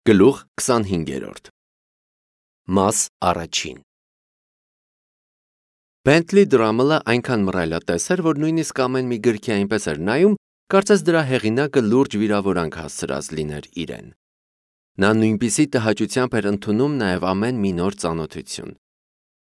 Գլուխ 25 Մաս առաջին Բենթլի Դրամելը այնքան մռայլատես էր, որ նույնիսկ ամեն մի գրքի այնպես էր նայում, կարծես դրա հեղինակը լուրջ վիրավորանք հասցրած լիներ իրեն։ Նա նույնպիսի տհաճությամբ էր ընդունում նաև ամեն մի նոր ծանոթություն։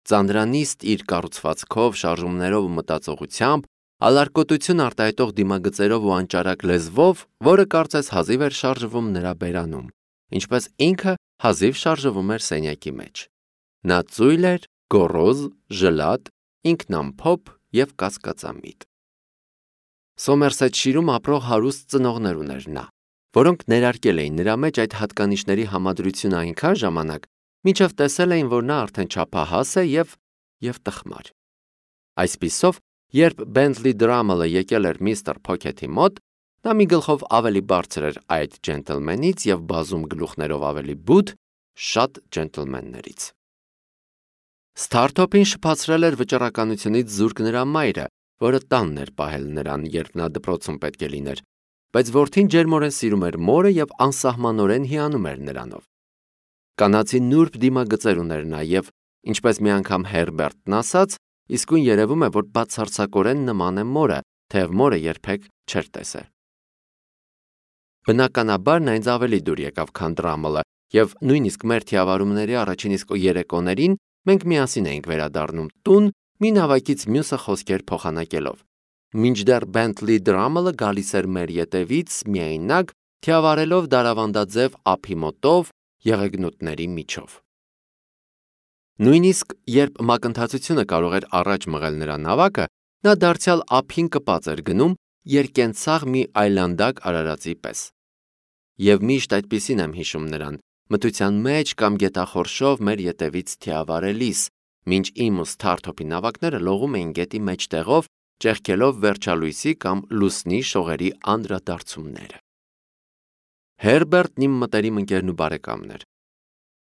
Ծանրանիստ իր կառուցվածքով, շարժումներով ու մտածողությամբ, ալարկոտություն արտահայտող դիմագծերով ու անճարակ լեզվով, որը կարծես հազիվ էր շարժվում նրա բերանում, ինչպես ինքը հազիվ շարժվում էր սենյակի մեջ։ Նա ծույլ էր, գոռոզ, ժլատ, ինքնամփոփ և կասկածամիտ։ Սոմերսեթշիրում ապրող հարուստ ծնողներ ուներ նա, որոնք ներարկել էին նրա մեջ այդ հատկանիշների համադրությունը այնքան ժամանակ, մինչև տեսել էին, որ նա արդեն չափահաս է և տխմար։ Այսպիսով, երբ Բենթլի Դրամելը եկել էր միստր Փոքեթի մոտ, նա մի գլխով ավելի բարձր էր այդ ջենտլմենից և բազում գլուխներով ավելի բութ շատ ջենտլմեններից։ Սթարթոփին շփացրել էր վճռականությունից զուրկ նրա մայրը, որը տանն էր պահել նրան, երբ նա դպրոցում պետք է լիներ, բայց որդին ջերմորեն սիրում էր մորը և անսահմանորեն հիանում էր նրանով։ Կանացի նուրբ դիմագծեր ուներ նա և, ինչպես մի անգամ Հերբերտն ասաց, իսկույն երևում է, որ բացարձակորեն նման է մորը, թեև մորը երբեք չէր տեսել։ Բնականաբար նա ինձ ավելի դուր եկավ, քան Դրամելը, և նույնիսկ մեր թիավարումների առաջին իսկ երեկոներին մենք միասին էինք վերադառնում տուն, մի նավակից մյուսը խոսքեր փոխանակելով, մինչդեռ Բենթլի Դրամելը գալիս էր մեր ետևից միայնակ, թիավարելով դարավանդաձև ափի մոտով, եղեգնուտների միջով։ Նույնիսկ երբ մակընթացությունը կարող էր առաջ մղել նրա նավակը, նա դարձյալ ափին կպած էր գնում երկենցաղ մի այլանդակ արարածի պես։ Եվ միշտ այդպիսին եմ հիշում նրան, մթության մեջ կամ գետախորշով մեր ետևից թիավարելիս, մինչ իմ ու Սթարթոփի նավակները լողում էին գետի մեջտեղով, ճեղքելով վերջալույսի կամ լուսնի շողերի անդրադարձումները։ Հերբերտն իմ մտերիմ ընկերն ու բարեկամն էր։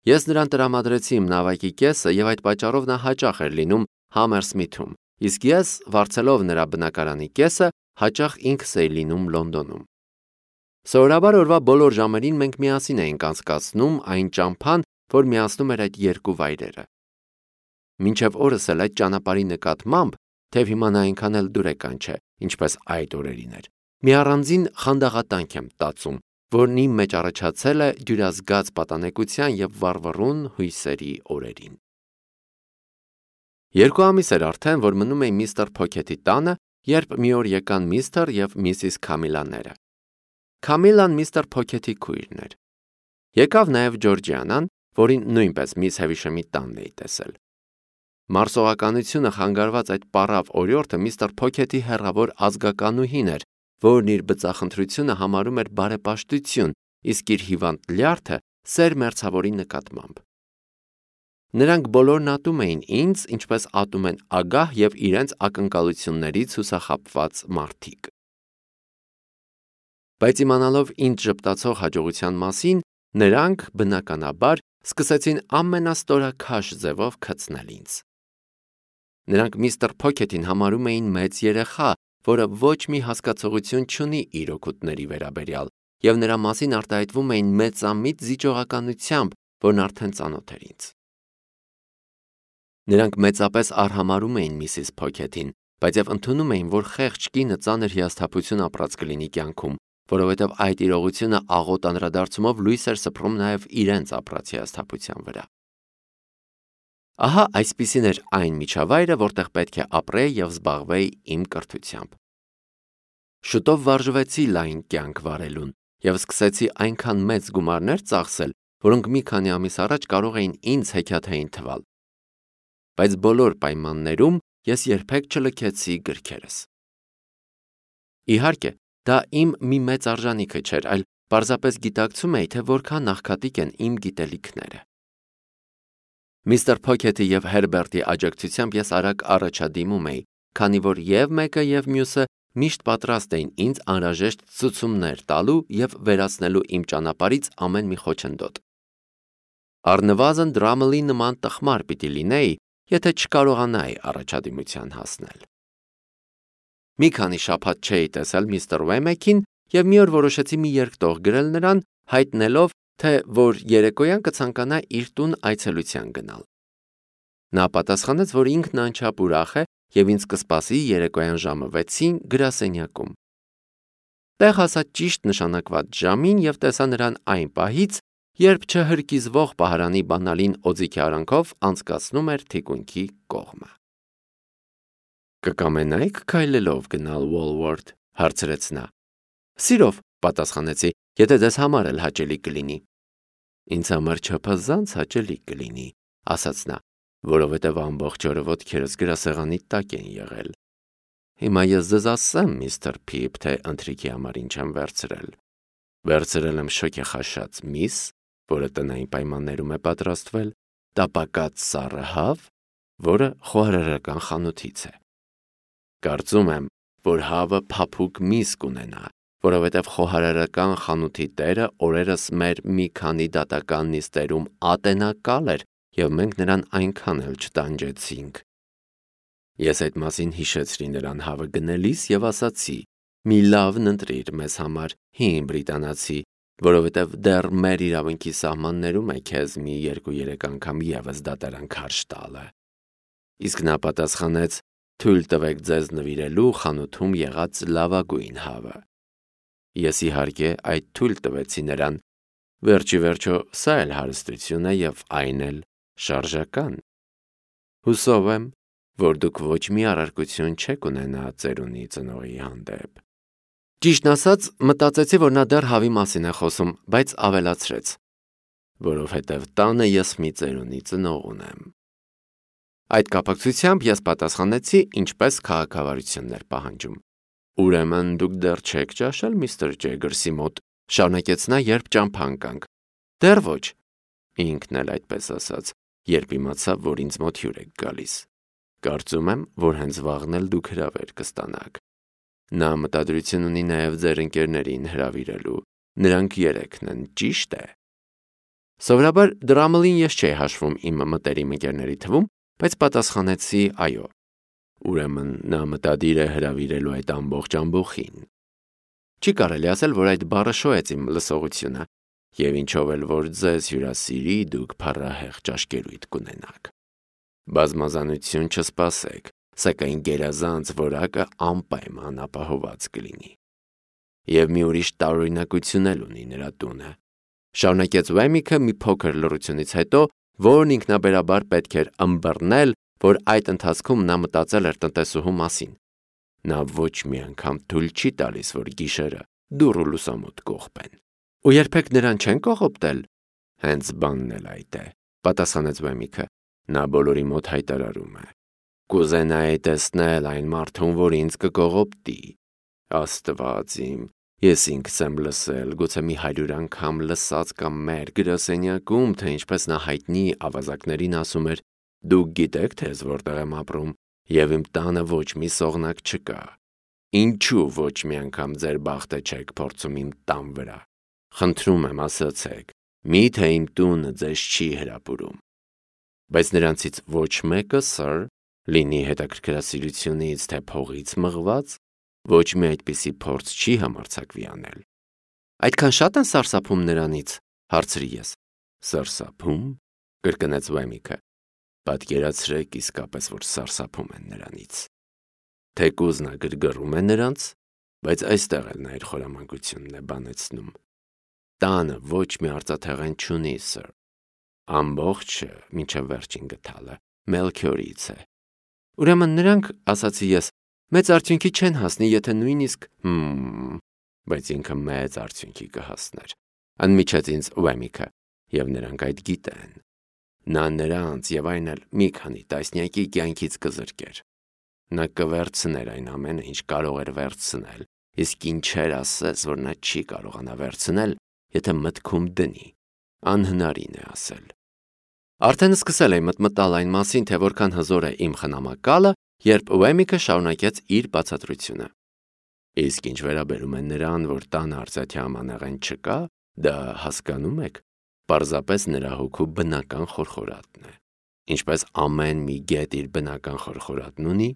Ես նրան տրամադրեցի իմ նավակի կեսը և այդ պատճառով նա հաճախ էր լինում Համերսմիթում, իսկ ես, վարձելով նրա բնակարանի կեսը, հաճախ ինքս էի լինում Լոնդոնում։ Սովորաբար օրվա բոլոր ժամերին մենք միասին էինք անցկացնում այն ճամփան, որ միացնում էր այդ երկու վայրերը։ Մինչև օրս էլ այդ ճանապարհի նկատմամբ, թեև հիմա նա այնքան էլ դուրեկան չէ, ինչպես այդ օրերին էր, մի առանձին խանդաղատանք եմ տածում, որն իմ մեջ առաջացել է դյուրազգաց պատանեկության և վառվռուն հույսերի օրերին։ 2 ամիս էր արդեն, որ մնում էի միստր Փոքեթի տանը, երբ մի օր եկան միստր և միսիս Քամիլաները։ Քամիլան միստր Փոքեթի քույրն էր։ Եկավ նաև Ջորջիանան, որին նույնպես միս Հևիշեմի տանն էի տեսել։ Մարսողականությունը խանգարված այդ պառավ օրիորդը միստր Փոքեթի հեռավոր ազգականուհին էր, որն իր բծախնդրությունը համարում էր բարեպաշտություն, իսկ իր հիվանդ լյարդը սեր մերձավորի նկատմամբ։ Նրանք բոլորն ատում էին ինձ, ինչպես ատում են ագահ և իրենց ակնկալություններից հուսախաբված մարդիկ։ Բայց իմանալով ինձ ժպտացող հաջողության մասին, նրանք, բնականաբար, սկսեցին ամենաստորաքաշ ձևով քցնել ինձ։ Նրանք միստր Փոքեթին համարում էին մեծ երեխա, որը ոչ մի հասկացողություն չունի իր օգուտների վերաբերյալ, և նրա մասին արտահայտվում էին մեծամիտ զիջողականությամբ, որն արդեն ծանոթ էր ինձ։ Նրանք մեծապես արհամարհում էին միսիս Փոքեթին, բայց և ընդունում էին, որ խեղճ կինը ծանր հիասթափություն ապրած կլինի կյանքում, որովհետև այդ իրողությունը աղոտ անդրադարձումով լույս էր սփռում նաև իրենց ապրած հիասթափության վրա։ Ահա այսպիսին էր այն միջավայրը, որտեղ պետք է ապրեի և զբաղվեի իմ կրթությամբ։ Շուտով վարժվեցի լայն կյանք վարելուն և սկսեցի այնքան մեծ գումարներ ծախսել, որոնք մի քանի ամիս առաջ կարող էին ինձ հեքիաթային թվալ։ Բայց բոլոր պայմաններում ես երբեք չլքեցի գրքերս։ Իհարկե, դա իմ մի մեծ արժանիքը չէր, այլ պարզապես գիտակցում էի, թե որքան աղքատիկ են իմ գիտելիքները։ Միստր Փոքեթի և Հերբերտի աջակցությամբ ես արագ առաջադիմում էի, քանի որ և մեկը և մյուսը միշտ պատրաստ էին ինձ անհրաժեշտ ցուցումներ տալու և վերացնելու իմ ճանապարհից ամեն մի խոչընդոտ։ Առնվազն Դրամելի նման տխմար պիտի լինեի, եթե չկարողանայի առաջադիմության հասնել։ Մի քանի շաբաթ չէի տեսել միստր Ուեմեքին և մի օր որոշեցի մի երկտող գրել նրան, հայտնելով, թե որ երեկոյան կցանկանա իր տուն այցելության գնալ։ Նա պատասխանեց, որ ինքն անչափ ուրախ է եւ ինձ կսպասի երեկոյան ժամը 6-ին գրասենյակում։ Տեղ հասած ճիշտ նշանակված ժամին եւ տեսա նրան այն պահից, երբ չհրկիզվող պահարանի բանալին օձիքի արանքով անցկացնում էր թիկունքի կողմը։ Կկամենայիք քայլելով գնալ Walworth, հարցրեց նա։ Սիրով, պատասխանեցի, եթե ձեզ համար էլ հաճելի կլինի։ Ինձ համար չափազանց հաճելի կլինի, ասաց նա, որովհետև ամբողջ օրը ոտքերս գրասեղանի տակ են եղել։ Հիմա ես ձեզ ասեմ, միստր Փիփ, թե ընթրիքի համար ինչ եմ վերցրել։ Վերցրել եմ շոգեխաշած միս, որը տնային պայմաններում է պատրաստվել, տապակած սառը հավ, որը խոհարարական խանութից է։ Կարծում եմ, որ հավը փափուկ միս կունենա, որովհետև խոհարարական խանութի տերը օրերս մեր մի քանի դատական նիստերում ատենակալ էր և մենք նրան այնքան էլ չտանջեցինք։ Ես այդ մասին հիշեցրի նրան հավը գնելիս և ասացի. մի լավն ընտրիր մեզ համար, հին բրիտանացի, որովհետև դեռ մեր իրավունքի սահմաններում է քեզ մի 2-3 անգամ ևս դատարան քարշ տալը։ Իսկ նա պատասխանեց. թույլ տվեք ձեզ նվիրելու խանութում եղած լավագույն հավը։ Ես իհարկե այդ թույլ տվեցի նրան։ Վերջի վերջո սա էլ հարստություն է և այն էլ շարժական։ Հուսով եմ, որ դուք ոչ մի առարկություն չեք ունենա ծերունի ծնողի հանդեպ։ Ճիշտն ասած, մտածեցի, որ նա դեռ հավի մասին է խոսում, բայց ավելացրեց. որովհետև տանը ես մի ծերունի ծնող ունեմ։ Այդ կապակցությամբ ես պատասխանեցի, ինչպես քաղաքավարություններ պահանջում։ Ուրեմն դուք դեռ չեք ճաշել միստր Ջեգերսի մոտ, շարունակեց նա, երբ ճամփա ընկանք։ Դեռ ոչ։ Ինքն էլ այդպես ասաց, երբ իմացավ, որ ինձ մոտ հյուր եք գալիս։ Կարծում եմ, որ հենց վաղն էլ դուք հրավեր կստանաք։ Նա մտադրություն ունի նաև ձեր ընկերներին հրավիրելու։ Նրանք 3-ն են, ճիշտ է։ Սովորաբար Դրամլին ես չէի հաշվում իմ մտերիմ ընկերների թվում, բայց պատասխանեցի այո։ Ուրեմն նա մտադիր է հրավիրելու այդ ամբողջ ամբոխին։ Չի կարելի ասել, որ այդ բառը շոյեց իմ լսողությունը, և ինչով էլ որ ձեզ հյուրասիրի, դուք փառահեղ ճաշկերույթ կունենաք։ Բազմազանություն չսպասեք, սակայն գերազանց որակը անպայման ապահոված կլինի։ Եվ մի ուրիշ տարօրինակություն էլ ունի նրա տունը։ Շարունակեց Վեմիքը մի փոքր լռությունից հետո, որն ինքնաբերաբար պետք էր ըմբռնել, որ այդ ընթացքում նա մտածել էր տնտեսուհու մասին։ Նա ոչ մի անգամ թույլ չի տալիս, որ գիշերը դուռ ու լուսամուտ կողպեն։ Ու երբեք նրան չեն կողոպտել։ Հենց բանն էլ այդ է, պատասխանեց Վեմիքը։ Նա բոլորի մոտ հայտարարում է. Կուզենայի տեսնել այն մարդուն, որ ինձ կկողոպտի։ Աստված իմ, ես ինքս եմ լսել, գուցե մի 100 անգամ լսած կամ մեր գրասենյակում, թե ինչպես նա հայտնի ավազակներին ասում էր. դուք գիտեք, թե ես որտեղ եմ ապրում, և իմ տանը ոչ մի սողնակ չկա։ Ինչու ոչ մի անգամ ձեր բախտը չեք փորձում իմ տան վրա։ Խնդրում եմ, ասացեք, միթե իմ տունը ձեզ չի հրապուրում։ Բայց նրանցից ոչ մեկը, սըր, լինի հետաքրքրասիրությունից, թե փողից մղված, ոչ մի այդպիսի փորձ չի համարձակվի անել։ Այդքան շատ են սարսափում նրանից, հարցրի ես։ Սարսափում, կրկնեց Վեմիքը։ Պատկերացրեք իսկապես, որ սարսափում են նրանից։ Թեկուզ նա գրգռում է նրանց, բայց այստեղ էլ նա իր խորամանկությունն է բանեցնում։ Տանը ոչ մի արծաթեղեն չունի, սըր։ Ամբողջը, մինչև վերջին գթալը, Մելքիորից է։ Ուրեմն նրանք, ասացի ես, մեծ արդյունքի չեն հասնի, եթե նույնիսկ բայց ինքը մեծ արդյունքի կհասներ։ Անմիջեց ինձ Վեմիքը, և նրանք այդ գիտեն։ Նա նրանց և այն էլ մի քանի տասնյակի կյանքից կզրկեր։ Նա կվերցներ այն ամենը, ինչ կարող էր վերցնել, իսկ ինչեր ասես, որ նա չի կարողանա վերցնել, եթե մտքում դնի, անհնարին է ասել։ Արդեն սկսել էի մտմտալ այն մասին, թե որքան հզոր է իմ խնամակալը, երբ Վեմիքը շարունակեց իր բացատրությունը։ Իսկ ինչ վերաբերում է նրան, որ տանը արծաթե ամանեղեն չկա, դա հասկանում եք, պարզապես նրա հոգու բնական խորխորատն է։ Ինչպես ամեն մի գետ իր բնական խորխորատն ունի,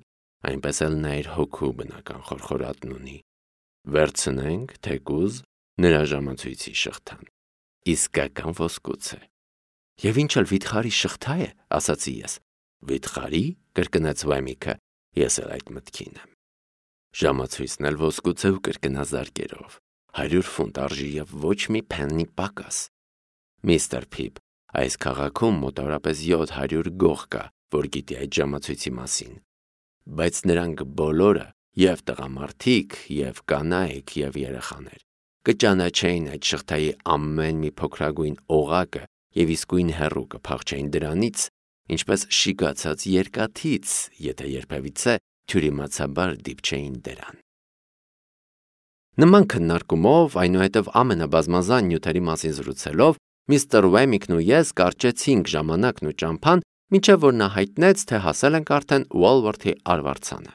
այնպես էլ նա իր հոգու բնական խորխորատն ունի։ Վերցնենք, թեկուզ, նրա ժամացույցի շղթան։ իսկական ոսկուց է։ Եվ ինչ էլ վիթխարի շղթա է, ասացի ես։ Վիթխարի, կրկնեց Վեմիքը, ես էլ այդ մտքին եմ։ Ժամացույցն էլ ոսկուց է ու կրկնազարկերով, 100 ֆունտ արժի և ոչ մի փեննի պակաս։ Միստր Փիփ, այս քաղաքում մոտավորապես 700 գող կա, որ գիտի այդ ժամացույցի մասին, բայց նրանք բոլորը, և տղամարդիկ, և կանայք, և երեխաներ, կճանաչեին այդ շղթայի ամեն մի փոքրագույն օղակը և իսկույն հեռու կփախչեին դրանից, ինչպես շիկացած երկաթից, եթե երբևիցե թյուրիմացաբար դիպչեին դրան։ Նման քննարկումով, այնուհետև ամենաբազմազան նյութերի մասին զրուցելով, միստր Վեմիքն ու ես կարճեցինք ժամանակն ու ճամփան, մինչև որ նա հայտնեց, թե հասել ենք արդեն Ուոլվորթի արվարձանը։